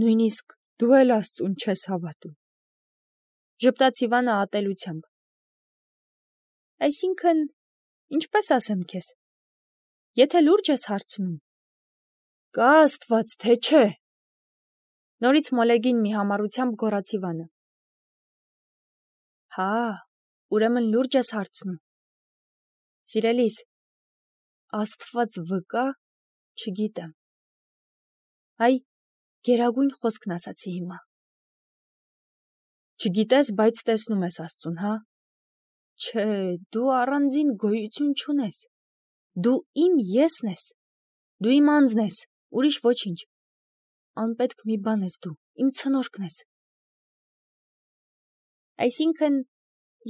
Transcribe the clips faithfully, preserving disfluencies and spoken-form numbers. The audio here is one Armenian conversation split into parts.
Նույնիսկ դու էլ Աստծուն չես հավատում։ Ժպտաց Իվանը ատելությամբ։ Այսինքն, ինչպես ասեմ քեզ, եթե լուրջ ես հարցնում, կա Աստված, թե չէ։ Նորից մոլեգին մի համառությամբ գոռաց Իվանը։ Հա, ուրեմն լուրջ ես հարցնում։ Սիրելիս, Աստված վկա, չգիտեմ։ Այ, գերագույն խոսքն ասացի հիմա։ Չգիտես, բայց տեսնում ես Աստծուն, հա։ Չէ, դու առանձին գոյություն չունես։ Դու իմ եսն ես, դու իմ անձն ես, ուրիշ ոչինչ։ Անպետք մի բան ես դու, իմ ցնորքն ես։ Այսինքն,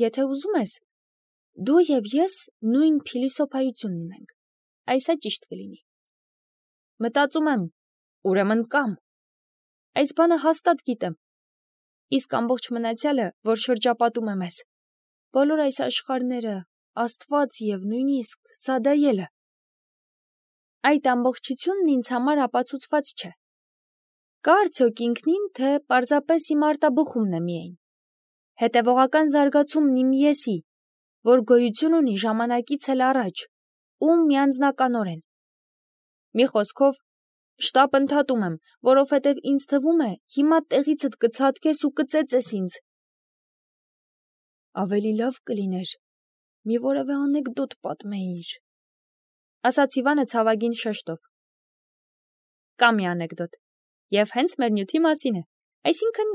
եթե ուզում ես, դու և ես նույն փիլիսոփայությունն ունենք, այս է ճիշտ կլինի։ Մտածում եմ, ուրեմն կամ, այս բանը հաստատ գիտեմ, իսկ ամբողջ մնացյալը, որ շրջապատում է մեզ, բոլոր այս աշխարհները, Աստված և նույնիսկ Սադայելը, այդ ամբողջությունն ինձ համար ապացուցված չէ։ Կա արդյոք ինքնին, թե պարզապես իմ արտաբխումն է միայն, հետևողական զարգացումն իմ եսի, որ գոյություն ունի ժամանակից էլ առաջ, ու միանձնականորեն։ Մի խոսքով, շտապ ընդհատում եմ, որովհետև ինձ թվում է, հիմա տեղիցդ կցատկես ու կծեծես ինձ։ Ավելի լավ կլիներ, մի որևէ անեկդոտ պատմեիր, ասաց Իվանը ցավագին շեշտով։ Կա մի անեկդոտ, և հենց մեր նյութի մասին է, այսինքն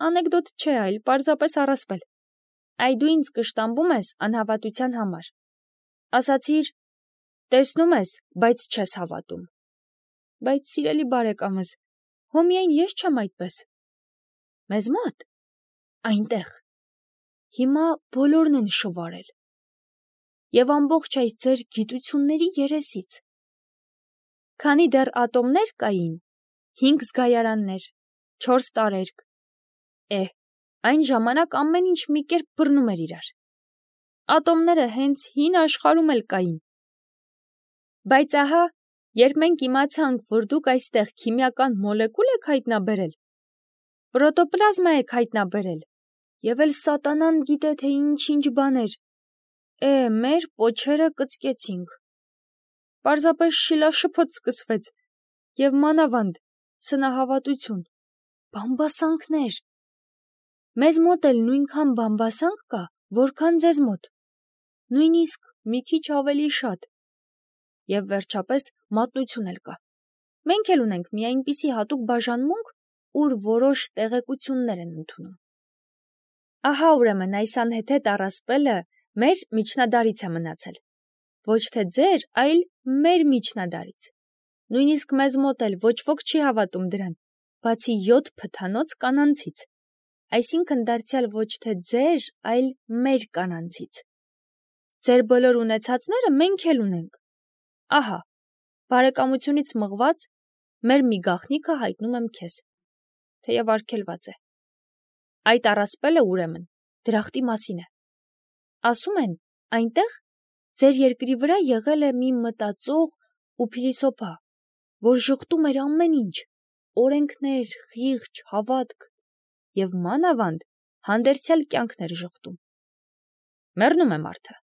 անեկդոտ չէ, այլ պարզապես առասպել։ Այ դու ինձ կշտամբում ես անհավատության համար։ Ասացիր, տեսնում ես, բայց չես հավատում։ Բայց սիրելի բարեկամս, հո միայն ես չեմ այդպես։ Մեզ մոտ, այնտեղ, հիմա բոլորն են շվարել։ Եվ ամբողջ այս ձեր գիտությունների երեսից։ Քանի դեռ ատոմներ կային, հինգ զգայարաններ, չորս տարերկ, է, այն ժամանակ ամեն ինչ մի կերպ բռնում էր իրար։ Ատոմները հենց հին աշխարհում էլ կային։ Բայց ահա, երբ մենք իմացանք, որ դուք այստեղ քիմիական մոլեկուլ եք հայտնաբերել, պրոտոպլազմա եք հայտնաբերել, և էլ սատանան գիտե, թե ինչ-ինչ բաներ, է, մեր պոչերը կծկեցինք։ Պարզապես շիլաշփոթ սկսվեց, և մանավանդ սնահավատություն, բամբասանքներ։ Մեզ մոտ էլ նույնքան բամբասանք կա, որքան ձեզ մոտ, նույնիսկ մի քիչ ավելի շատ, և վերջապես մատնություն էլ կա։ Մենք էլ ունենք մի այնպիսի հատուկ բաժանմունք, ուր որոշ տեղեկություններ են ընդունում։ Ահա ուրեմն այս անհեթեթ առասպելը մեր միջնադարից է մնացել, ոչ թե ձեր, այլ մեր միջնադարից։ Նույնիսկ մեզ մոտ էլ ոչ ոք չի հավատում դրան, բացի յոթ փթանոց կանանցից, այսինքն դարձյալ ոչ թե ձեր, այլ մեր կանանցից։ Ձեր բոլոր ունեցածները մենք էլ ունենք։ Ահա, բարեկամությունից մղված, մեր մի գաղտնիքը հայտնում եմ քեզ, թեև արգելված է։ Այդ առասպելը ուրեմն դրախտի մասին է։ Ասում են, այնտեղ ձեր երկրի վրա եղել է մի մտածող ու փիլիսոփա, որ ժխտում էր ամեն ինչ, օրենքներ, խիղճ, հավատք, և մանավանդ հանդերձյալ կյանքն էր ժխտում։ Մեռնում է մարդը,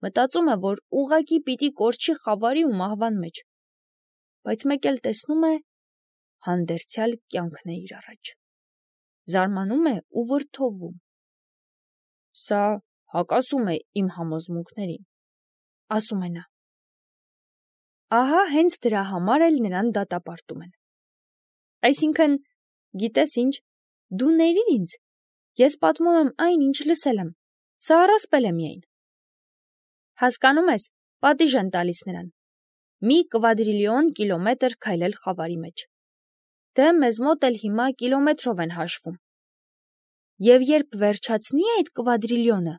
մտածում է, որ ուղղակի պիտի կորչի խավարի ու մահվան մեջ, բայց մեկ էլ տեսնում է, հանդերձյալ կյանքն է իր առաջ։ Զարմանում է ու վրդովում։ Սա հակասում է իմ համոզմունքներին, ասում է նա։ Ահա հենց դրա համար էլ նրան դատապարտում են։ Այսինքն, գիտես ինչ, դու ներիր ինձ, ես պատմում եմ այն, ինչ լսել եմ, սա առասպել է միայն։ Հասկանում ես, պատիժ են տալիս նրան։ Մի կվադրիլիոն կիլոմետր քայլել խավարի մեջ։ Դե մեզ մոտ էլ հիմա կիլոմետրով են հաշվում։ Եվ երբ վերջացնի այդ կվադրիլիոնը,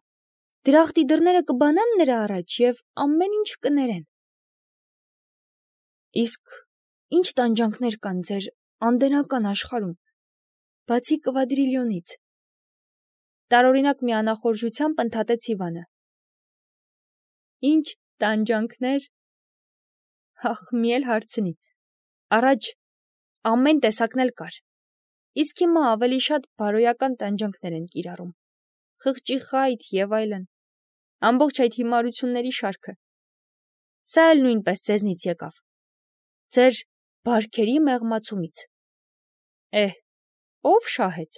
դրախտի դռները կբանան նրա առաջ և ամեն ինչ կներեն։ Իսկ ինչ տանջանքներ կան ձեր անդենական աշխարհում, բացի կվադրիլիոնից։ Տարօրինակ մի անախորժությամբ ընդհատեց Իվանը։ Ինչ տանջանքներ։ Ախ, մի էլ հարցնի։ Առաջ ամեն տեսակն էլ կար, իսկ հիմա ավելի շատ բարոյական տանջանքներ են կիրառում, խղճի խայթ եւ այլն, ամբողջ այդ հիմարությունների շարքը։ Սա էլ նույնպես ձեզնից եկավ, ձեր բարքերի մեղմացումից։ Էհ, ով շահեց։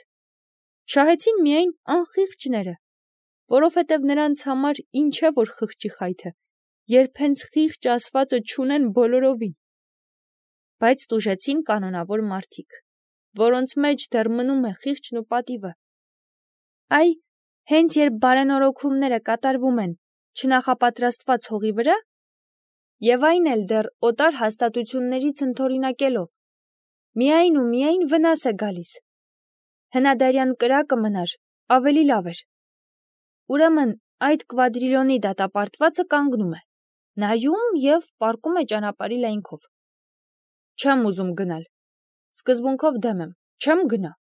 Շահեցին միայն անխիղճները, որովհետև նրանց համար ինչ է որ խղճի խայթը, երբ հենց խիղճ ասվածը չունեն բոլորովին։ Բայց տուժեցին կանոնավոր մարդիկ, որոնց մեջ դեռ մնում է խիղճն ու պատիվը։ Այ, հենց երբ բարենորոգումները կատարվում են չնախապատրաստված հողի վրա, եւ այն էլ դեռ օտար հաստատություններից ընդօրինակելով, միայն ու միայն վնաս է գալիս։ Հնադարյան կրակը մնար ավելի լավ էր։ Ուրեմն այդ կվադրիլիոնի դատապարտվածը կանգնում է, նայում եւ պառկում է ճանապարհի լայնքով։ Չեմ ուզում գնալ, սկզբունքով դեմ եմ, չեմ գնա։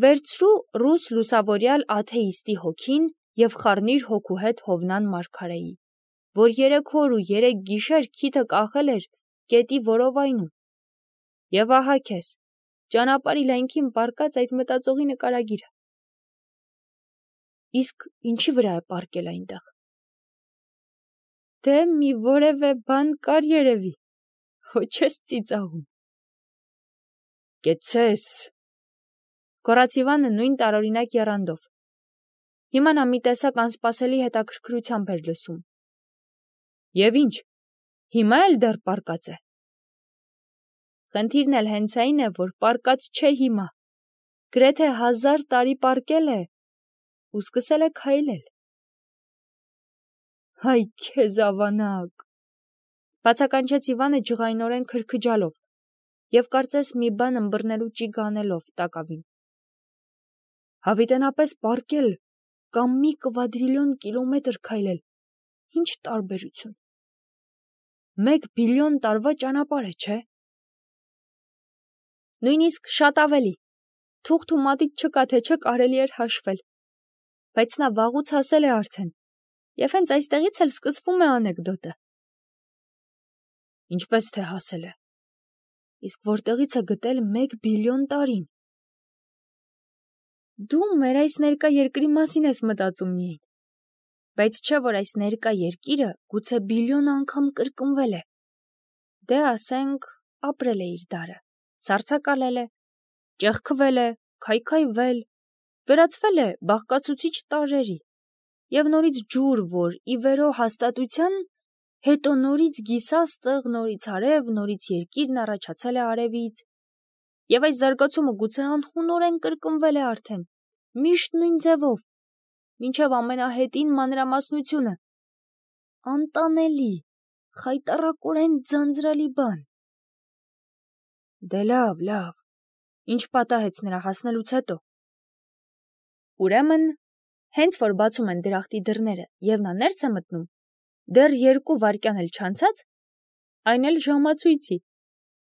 Վերցրու ռուս լուսավորյալ աթեիստի հոգին եւ խառնիր հոգու հետ Հովնան մարգարեի, որ երեք օր ու երեք գիշեր քիթը կախել էր գետի որովայնում։ Եվ ահա քեզ, ճանապարհի լայնքին պառկած այդ մտածողի նկարագիրը։ Իսկ ինչի վրա է պառկել այնտեղ։ Դե մի որևէ բան կար երևի, հո չես ծիծաղում։ Կեցես։ Գոռաց Իվանը նույն տարօրինակ եռանդով։ Հիմա նա մի տեսակ անսպասելի հետաքրքրությամբ էր լսում։ Եվ ինչ, հիմա էլ դեռ պառկած է։ Խնդիրն էլ հենց այն է, որ պառկած չէ հիմա, գրեթե հազար տարի պառկել է ու սկսել է քայլել։ Հայ քեզ ավանակ, բացականչեց Իվանը ջղայնորեն քրքջալով եւ կարծես մի բան ըմբռնելու ճիգ անելով տակավին։ Հավիտենապես պառկել կամ մի կվադրիլիոն կիլոմետր քայլել, ինչ տարբերություն։ Մեկ բիլիոն տարվա ճանապարհ է, չէ՞։ Նույնիսկ շատ ավելի, թուղթ ու մատիտ չկա, թե չէ կարելի էր հաշվել, բայց նա վաղուց հասել է արդեն, եւ հենց այստեղից էլ սկսվում է անեկդոտը։ Ինչպես թե հասել է, իսկ որտեղից է գտել մեկ բիլիոն տարին։ Դու մեր այս ներկա երկրի մասին ես մտածում միայն, բայց չէ որ այս ներկա երկիրը գուցե բիլիոն անգամ կրկնվել է։ Դե ասենք, ապրել է իր դարը, սառցակալել է, ճեղքվել է, քայքայվել, վերածվել է բաղկացուցիչ տարրերի, եւ նորից ջուր, որ ի վերո հաստատության, հետո նորից գիսաստղ, նորից արև, նորից երկիրն առաջացել է արևից, եւ այս զարգացումը գուցե անխունորեն կրկնվել է արդեն, միշտ նույն ձևով, մինչև ամենահետին մանրամասնությունը։ Անտանելի, խայտառակորեն ձանձրալի բան։ Դե լավ, լավ, ինչ պատահեց նրա հասնելուց հետո։ Ուրեմն, հենց որ բացում են դրախտի դռները եւ նա ներս է մտնում, դեռ երկու վայրկյան էլ չանցած, այն էլ ժամացույցի,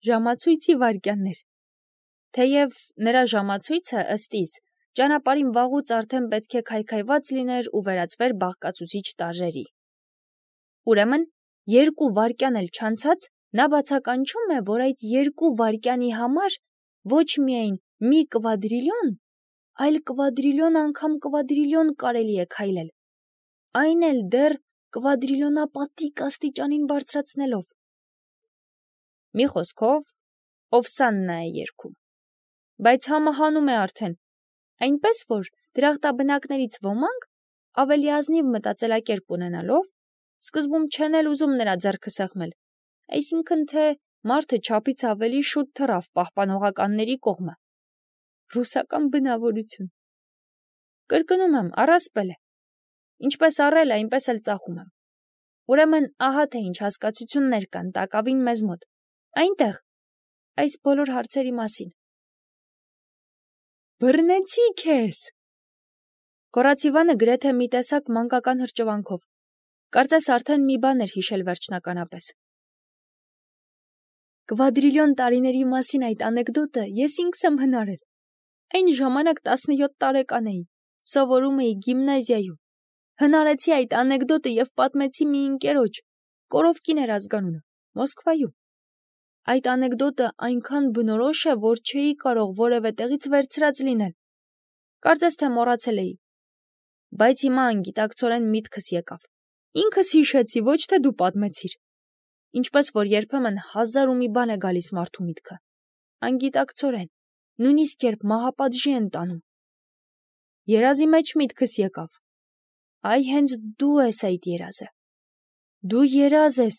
ժամացույցի վայրկյաններ։ Թեև նրա ժամացույցը ըստ իս ճանապարհին վաղուց արդեն պետք է քայքայված լիներ ու վերածվեր բաղկացուցիչ տարրերի։ Ուրեմն, երկու վայրկյան էլ չանցած, նա բացականչում է, որ այդ երկու վայրկյանի համար ոչ միայն մի կվադրիլիոն, այլ կվադրիլիոն անգամ կվադրիլիոն կարելի է քայլել, այն էլ դեռ կվադրիլիոնապատիկ աստիճանին բարձրացնելով։ Մի խոսքով, Օվսաննա է երգում, բայց համը հանում է արդեն, այնպես որ դրախտաբնակներից ոմանք, ավելի ազնիվ մտածելակերպ ունենալով, սկզբում չեն էլ ուզում նրա ձեռքը սեղմել, այսինքն թե մարդը չափից ավելի շուտ թռավ պահպանողականների կողմը։ Ռուսական բնավորություն։ Կրկնում եմ, առասպել է։ Ինչպես առել, այնպես էլ ծախում եմ։ Ուրեմն ահա թե ինչ հասկացություններ կան տակավին մեզ մոտ, այնտեղ, այս բոլոր հարցերի մասին։ Բռնեցի քեզ։ Գոռաց Իվանը գրեթե մի տեսակ մանկական հրճվանքով, կարծես արդեն մի բան էր հիշել վերջնականապես։ Կվադրիլիոն տարիների մասին այդ անեկդոտը ես ինքս եմ հնարել։ Այն ժամանակ տասնյոթ տարեկան էի, սովորում էի գիմնազիայում։ Հնարեցի այդ անեկդոտը եւ պատմեցի մի ընկերոջ, Կորովկին էր ազգանունը, Մոսկվայում։ Այդ անեկդոտը այնքան բնորոշ է, որ չէի կարող որևէ տեղից վերցրած լինել։ Կարծես թե մոռացել էի։ Բայց հիմա անգիտակցորեն միտքս եկավ։ Ինքս հիշեցի, ոչ թե դու պատմեցիր։ Ինչպես որ երբեմն հազար ու մի բան է գալիս մարդու միտքը։ Անգիտակցորեն, նույնիսկ երբ մահապատժի են տանում։ Երազի մեջ միտքս եկավ։ Այ հենց դու ես այդ երազը։ Դու երազ ես,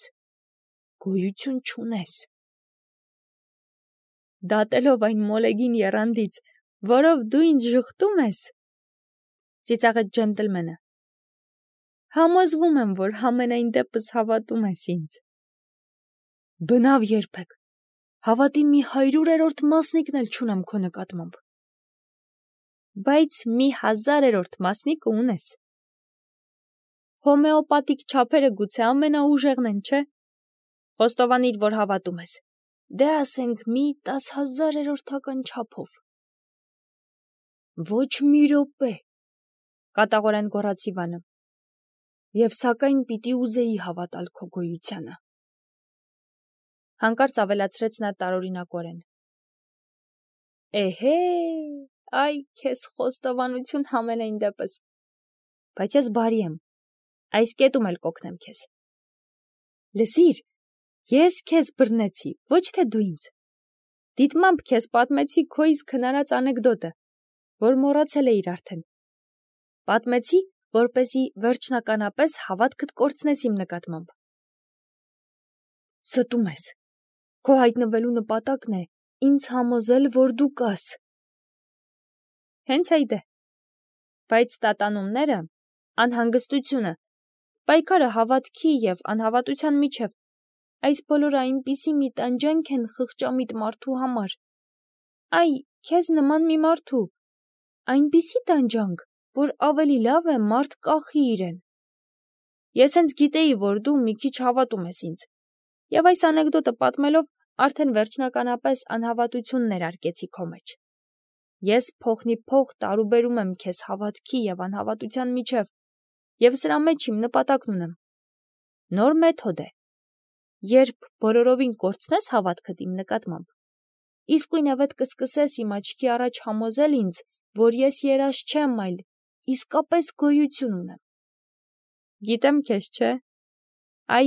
գոյություն չունես։ Դատելով այն մոլեգին եռանդից, որով դու ինձ ժխտում ես, ծիծաղեց ջենտլմենը։ Համոզվում եմ, որ համենայն դեպս հավատում ես ինձ։ Բնավ երբեք, հավատի մի հարյուրերորդ մասնիկն էլ չունեմ քո նկատմամբ։ Բայց մի հազարերորդ մասնիկը ունես։ Հոմեոպաթիկ չափերը գուցե ամենաուժեղն են, չէ՞։ Խոստովանիր, որ հավատում ես։ Դե ասենք մի տասհազարերորդական չափով։ Ոչ մի րոպե, կատաղորեն գոռաց Իվանը։ Եվ սակայն պիտի ուզեի հավատալ քո գոյությանը։ Հանկարծ ավելացրեց նա տարօրինակորեն։ Էհե, այ քեզ խոստովանություն համենայն դեպս։ Բայց ես բարի եմ, այս կետում էլ կօգնեմ քեզ։ Լսիր, ես քեզ բռնեցի, ոչ թե դու ինձ։ Դիտմամբ քեզ պատմեցի քո իսկ հնարած անեկդոտը, որ մոռացել էիր արդեն։ Պատմեցի, որպեսզի վերջնականապես հավատքդ կորցնես իմ նկատմամբ։ Ստում ես։ Քո հայտնվելու նպատակն է ինձ համոզել, որ դու կաս։ Հենց այդ է։ Բայց տատանումները, անհանգստությունը, պայքարը հավատքի և անհավատության միջև, այս բոլորը այնպիսի մի տանջանք են խղճամիտ մարդու համար։ Այ, քեզ նման մի մարդու, այնպիսի տանջանք, որ ավելի լավ է մարդ կախի իրեն։ Ես հենց գիտեի, որ դու մի քիչ հավատում ես ինձ, և այս անեկդոտը պատմելով արդեն վերջնականապես անհավատություն ներարկեցի քո մեջ։ Ես փոխնիփոխ տարուբերում եմ քեզ հավատքի և անհավատության միջև, և սրա մեջ իմ նպատակն ունեմ։ Նոր մեթոդ է։ Երբ բոլորովին կորցնես հավատքդ իմ նկատմամբ, իսկույնևեթ կսկսես իմ աչքի առաջ համոզել ինձ, որ ես երազ չեմ, այլ իսկապես գոյություն ունեմ։ Գիտեմ քեզ, չէ՞։ Այ,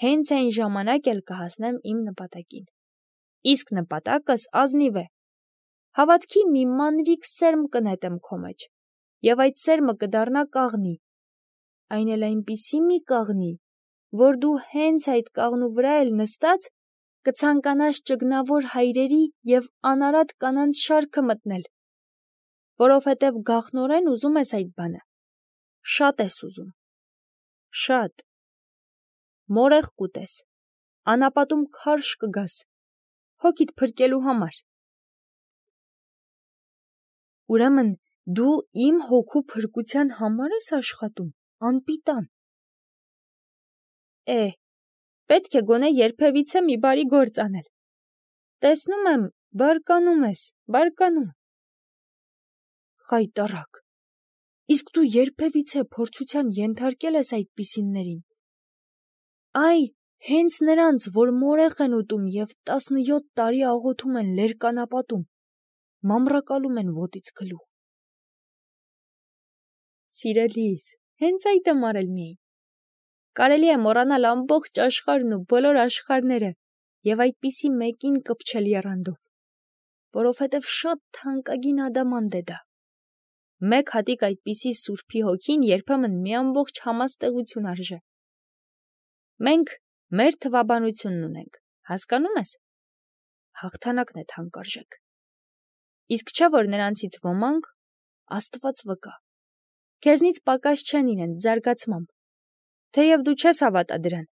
հենց այն ժամանակ էլ կհասնեմ իմ նպատակին։ Իսկ նպատակս ազնիվ է։ Հավատքի մի մանրիկ սերմ կնետեմ քո մեջ, և այդ սերմը կդառնա կաղնի, այն էլ այնպիսի մի կաղնի, որ դու հենց այդ կաղնու վրա էլ նստած կցանկանաս ճգնավոր հայրերի և անարատ կանանց շարքը մտնել, որովհետև գաղտնորեն ուզում ես այդ բանը, շատ ես ուզում, շատ, մորեղ կուտես, անապատում քարշ կգաս, հոգիդ փրկելու համար։ Ուրեմն դու իմ հոգու փրկության համար ես աշխատում, անպիտան։ Է, պետք է գոնե երբևիցե մի բարի գործ անել։ Տեսնում եմ, բարկանում ես, բարկանում։ Խայտառակ, իսկ դու երբևիցե փորձության ենթարկել ես այդպիսիներին։ Այ, հենց նրանց, որ մորեղ են ուտում և տասնյոթ տարի աղոթում են լերկանապատում, մամռակալում են ոտից գլուխ։ Սիրելիս, հենց այդ եմ արել միայն։ Կարելի է մոռանալ ամբողջ աշխարհն ու բոլոր աշխարհները և այդպիսի մեկին կպչել եռանդով, որովհետև շատ թանկագին ադամանդ է դա։ Մեկ հատիկ այդպիսի սուրբի հոգին երբեմն մի ամբողջ համաստեղություն արժե։ Մենք մեր թվաբանությունն ունենք, հասկանում ես։ Հաղթանակն է թանկարժեք։ Իսկ չէ՞ որ նրանցից ոմանք, Աստված վկա, քեզնից պակաս չեն իրենց զարգացմամբ, թեև դու չես հավատա դրան։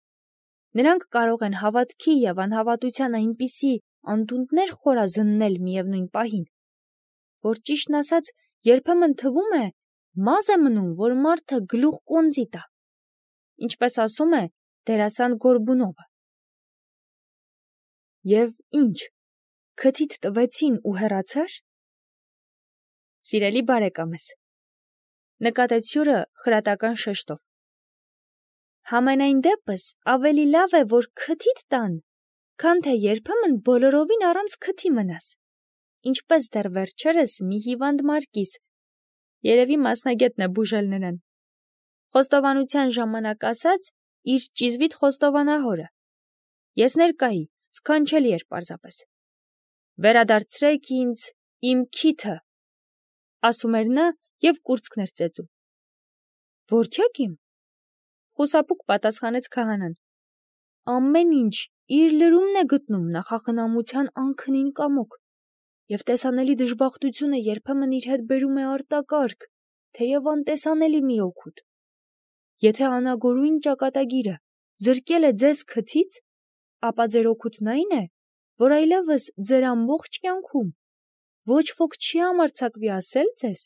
Նրանք կարող են հավատքի և անհավատության այնպիսի անդունդներ խորազննել միևնույն պահին, որ ճիշտն ասած երբեմն թվում է, մազ է մնում, որ մարդը գլուխ կոնձի տա, ինչպես ասում է դերասան Գորբունովը։ Եվ ինչ, քթիդ տվեցին ու հեռացա՞ր։ Սիրելի բարեկամս, նկատեց հյուրը խրատական շեշտով։ Համենայն դեպս ավելի լավ է, որ քթիդ տան, քան թե երբեմն բոլորովին առանց քթի մնաս, ինչպես դեռ վերջերս մի հիվանդ մարկիս, երևի մասնագետն է բուժել նրան, խոստովանության ժամանակ ասաց իր ճիզվիտ խոստովանահորը. ես ներկայի, սքանչելի էր պարզապես, վերադարձրեք ինձ իմ քիթը, ասում էր նա և կուրծքն էր ծեծում։ Որդյակ իմ, խուսափուկ պատասխանեց քահանան, ամեն ինչ իր լրումն է գտնում նախախնամության անքնին կամոք, և տեսանելի դժբախտությունը երբեմն իր հետ բերում է արտակարգ, թեև անտեսանելի մի օգուտ։ Եթե անագորույն ճակատագիրը զրկել է ձեզ քթից, ապա ձեր օգուտն այն է, որ այլևս ձեր ամբողջ կյանքում ոչ ոք չի համարձակվի ասել ձեզ,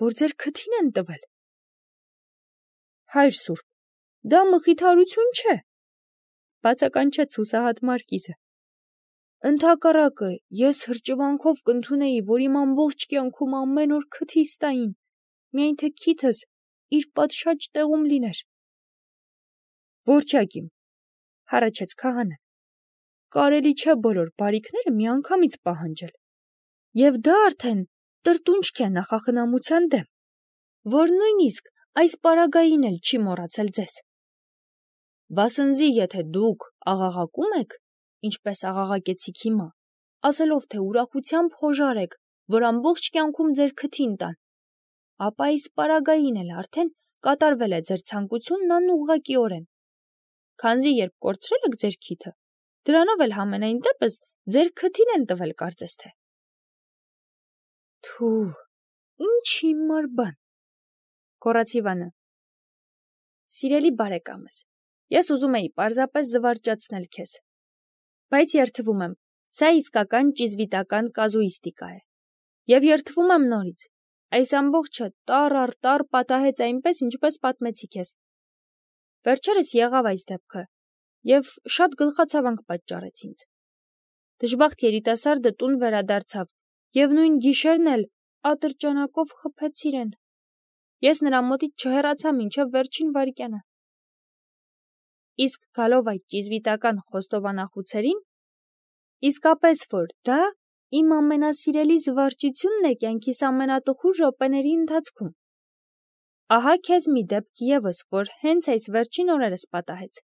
որ ձեր քթին են տվել։ Հայր սուրբ, դա մխիթարություն չէ, բացականչեց հուսահատ մարկիզը։ Ընդհակառակը, ես հրճվանքով կընդունեի, որ իմ ամբողջ կյանքում ամեն օր քթիս տային, միայն թե քիթս իր պատշաճ տեղում լիներ։ Որդյակ իմ, հառաչեց քահանան, կարելի չէ բոլոր բարիքները միանգամից պահանջել, և դա արդեն տրտունջք է նախախնամության դեմ, որ նույնիսկ այս պարագային էլ չի մոռացել ձեզ։ Վասնզի եթե դուք աղաղակում եք, ինչպես աղաղակեցիք հիմա, ասելով, թե ուրախությամբ խոժարեք, որ ամբողջ կյանքում ձեր քթին տան, ապա այս պարագային էլ արդեն կատարվել է ձեր ցանկությունն անուղղակիորեն, քանզի երբ կորցրել եք ձեր քիթը, դրանով էլ համենայն դեպս ձեր քթին են տվել կարծես թե։ Թու, ինչ հիմար բան, գոռաց Իվանը։ Սիրելի բարեկամս, ես ուզում էի պարզապես զվարճացնել քեզ, բայց երդվում եմ, սա իսկական ճիզվիտական կազուիստիկա է, և երդվում եմ նորից, այս ամբողջը տառ առ տառ պատահեց այնպես, ինչպես պատմեցի քեզ։ Վերջերս եղավ այս դեպքը, և շատ գլխացավանք պատճառեց ինձ։ Դժբախտ երիտասարդը տուն վերադարձավ, և նույն գիշերն էլ ատրճանակով խփեց իրեն։ Ես նրա մոտից չհեռացա մինչև վերջին վայրկյանը։ Իսկ գալով այդ ճիզվիտական խոստովանախուցերին, իսկապես որ դա իմ ամենասիրելի զվարճությունն է կյանքիս ամենատխուր րոպեների ընթացքում։ Ահա քեզ մի դեպք ևս, որ հենց այս վերջին օրերս պատահեց։